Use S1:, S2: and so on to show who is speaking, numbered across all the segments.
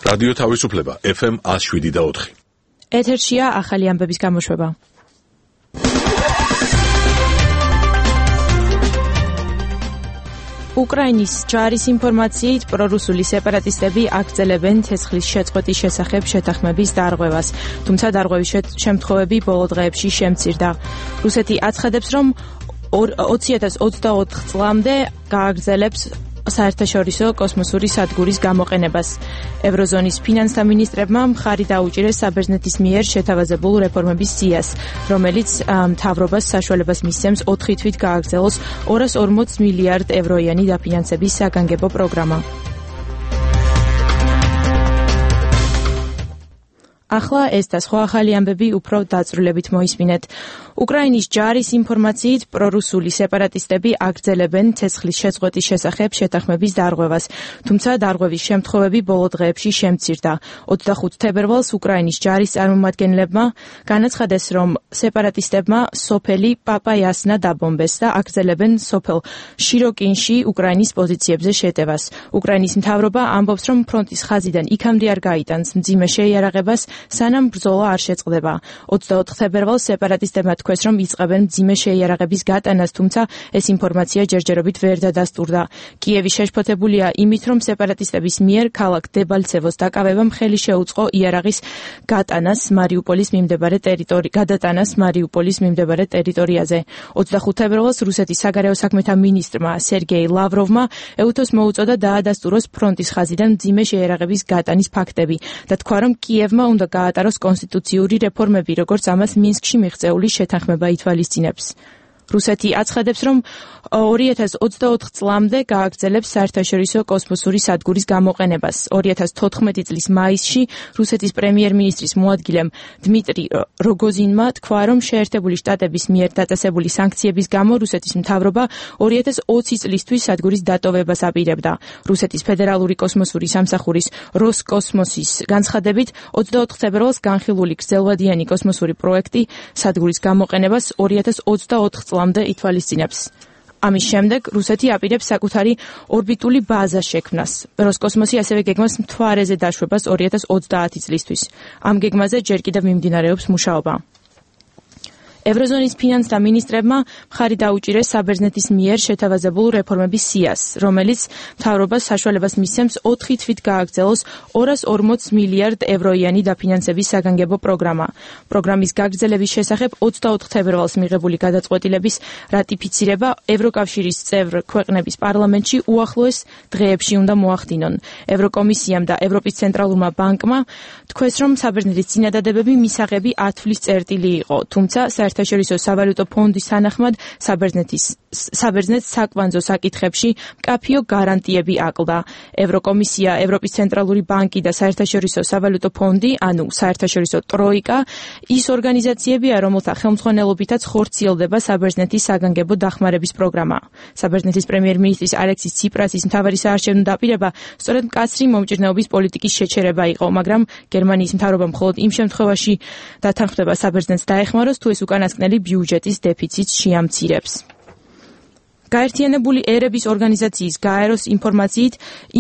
S1: რადიო თავისუფლება FM 107.4.
S2: ეთერშია ახალი ამბების გამოშვება. უკრაინის ჯარის ინფორმაციით პრორუსული სეპარატისტები აგრძელებენ ცეცხლის შეწყვეტის შესახებ შეთანხმების დარღვევას, თუმცა დარღვევის შემთხვევები ბოლო დღეებში შემცირდა. რუსეთი აცხადებს, რომ 2024 წლამდე გააგრძელებს საერთაშორისო კოსმოსური სადგურის გამოყენებას. ევროზონის ფინანსთა მინისტრებმა მხარი დაუჭირეს საბერძნეთის მიერ შეთავაზებულ რეფორმების სიას, რომელიც მთავრობას საშუალებას მისცემს 4 თვით გააგრძელოს 240 მილიარდ ევროიანი დაფინანსების საგანგებო პროგრამა. ახლა ეს და სხვა ახალი ამბები უფრო დაწვრილებით მოისმინეთ. უკრაინის ჯარის ინფორმაციით პრორუსული სეპარატისტები აგრძელებენ ცეცხლის შეწყვეტის შესახებ შეთანხმების დარღვევას, თუმცა დარღვევის შემთხვევები ბოლო დღეებში შემცირდა. 25 თებერვალს უკრაინის ჯარის წარმომადგენლებმა განაცხადეს, რომ სეპარატისტებმა სოფელი პაპაიასნა დაბომბეს და აგრძელებენ სოფელ შიროკინში უკრაინის პოზიციებზე შეტევას. უკრაინის მთავრობა ამბობს, რომ ფრონტის ხაზიდან იქამდე არ გაიტანს მძიმე შეიარაღებას, სანამ ბრძოლა არ შეწყდება. 24 თებერვალს სეპარატისტებმა თქვეს, რომ იწყებენ მძიმე შეიარაღების გატანას, თუმცა ეს ინფორმაცია ჯერჯერობით ვერ დადასტურდა. კიევი შეშფოთებულია იმით, რომ სეპარატისტების მიერ ქალაქ დებალცევოს დაკავებამ ხელი შეუწყო იარაღის გადატანას მარიუპოლის მიმდებარე ტერიტორიაზე. 25 თებერვალს რუსეთის საგარეო საქმეთა მინისტრმა სერგეი ლავროვმა ეუთოს მოუწოდა დაადასტუროს ფრონტის ხაზიდან მძიმე შეიარაღების გატანის ფაქტები და თქვა, რომ კიევმა უნდა გაატაროს კონსტიტუციური რეფორმები, როგორც ამას მინსკში მიღწეული შეთანხმება ითვალისწინებს. რუსეთი აცხადებს, რომ 2024 წლამდე გააგრძელებს საერთაშორისო კოსმოსური სადგურის გამოყენებას. 2014 წლის მაისში რუსეთის პრემიერ-მინისტრის მოადგილემ დმიტრი როგოზინმა თქვა, რომ შეერთებული შტატების მიერ დაწესებული სანქციების გამო რუსეთის მთავრობა 2020 წლისთვის სადგურის დატოვებას აპირებდა. რუსეთის ფედერალური კოსმოსური სამსახურის როსკოსმოსის განცხადებით 24 თებერვალს განხილული გრძელვადიანი კოსმოსური პროექტი სადგურის გამოყენებას 2024 წლამდე ითვალისწინებს. ამის შემდეგ რუსეთი აპირებს საკუთარი ორბიტული ბაზა შექმნას. როსკოსმოსი ასევე გეგმავს მთვარეზე დაშვებას 2030 წლისთვის. ამ გეგმაზე ჯერ კიდევ მიმდინარეობს მუშაობა. ევროზონის ფინანსთა მინისტრებმა მხარი დაუჭირეს საბერძნეთის მიერ შეთავაზებულ რეფორმების სიას, რომელიც მთავრობას საშუალებას მისცემს 4 თვით გააგრძელოს 240 მილიარდ ევროიანი დაფინანსების საგანგებო პროგრამა. პროგრამის გაგრძელების შესახებ 24 თებერვალს მიღებული გადაწყვეტილების რატიფიცირება ევროკავშირის წევრ ქვეყნების პარლამენტში უახლოეს დღეებში უნდა მოახდინონ. ევროკომისიამ და ევროპის ცენტრალურმა ბანკმა თქვეს, რომ საბერძნეთის წინადადებები მისაღები ათვლის წერტილი იყო, თუმცა საერთაშორისო სავალუტო ფონდის თანახმად საბერძნეთს საკვანძო საკითხებში მკაფიო გარანტიები აკლდა. ევროკომისია, ევროპის ცენტრალური ბანკი და საერთაშორისო სავალუტო ფონდი, ანუ საერთაშორისო ტროიკა, ის ორგანიზაციებია, რომელთა ხელმძღვანელობითაც ხორციელდება საბერძნეთის საგანგებო დახმარების პროგრამა. საბერძნეთის პრემიერ-მინისტრის ალექსის ციპრასის მთავარი საარჩევნო დაპირება სწორედ მკაცრი მომჭირნეობის პოლიტიკის შეჩერება იყო, მაგრამ გერმანიის მთავრობა მხოლოდ იმ შემთხვევაში დათანხმდება საბერძნეთს დაეხმაროს, თუ ეს უკანასკნელი ბიუჯეტის დეფიციტს შეამცირებს. გაერთიანებული ერების ორგანიზაციის გაეროს ინფორმაციით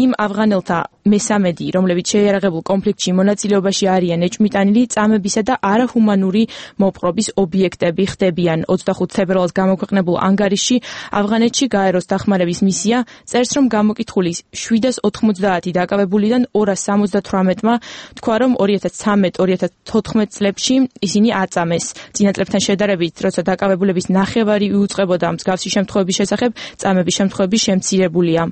S2: იმ ავღანელთა მესამედი, რომლებიც შეიარაღებულ კონფლიქტში მონაწილეობაში არიან ეჭვმიტანილი წამებისა და არაჰუმანური მოპყრობის ობიექტები ხდებიან. 25 თებერვალს გამოქვეყნებულ ანგარიშში ავღანეთში გაეროს დახმარების მისია წერს, რომ გამოკითხული 790 დაკავებულიდან 278-მა თქვა, რომ 2013-2014 წლებში ისინი აწამეს. წინა წლებთან შედარებით, როცა დაკავებულების ნახევარი იუწყებოდა მსგავსი შემთხვევების შესახებ, წამების შემთხვევები შემცირებულია.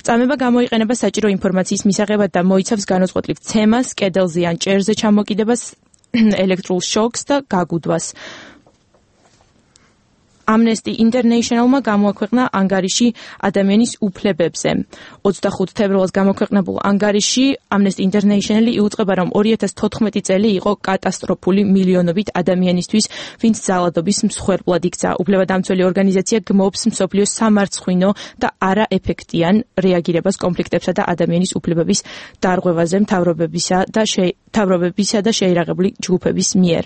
S2: წამება გამოიყენება საჭირო ინფორმაციის მისაღებად და მოიცავს განუწყვეტლივ ცემას, კედელზე ან ჭერზე ჩამოკიდებას, ელექტრულ შოკს და გაგუდვას. Amnesty International-მა გამოაქვეყნა ანგარიში ადამიანის უფლებებზე. 25 თებერვალს გამოქვეყნებულ ანგარიშში Amnesty International იუწყება, რომ 2014 წელი იყო კატასტროფული მილიონობით ადამიანისთვის, ვინც ძალადობის მსხვერპლად იქცა. უფლებადამცველი ორგანიზაცია გმობს მსოფლიოს სამარცხვინო და არაეფექტიან რეაგირებას კონფლიქტებსა და ადამიანის უფლებების დარღვევაზე მთავრობებისა და შეიარაღებული ჯგუფების მიერ.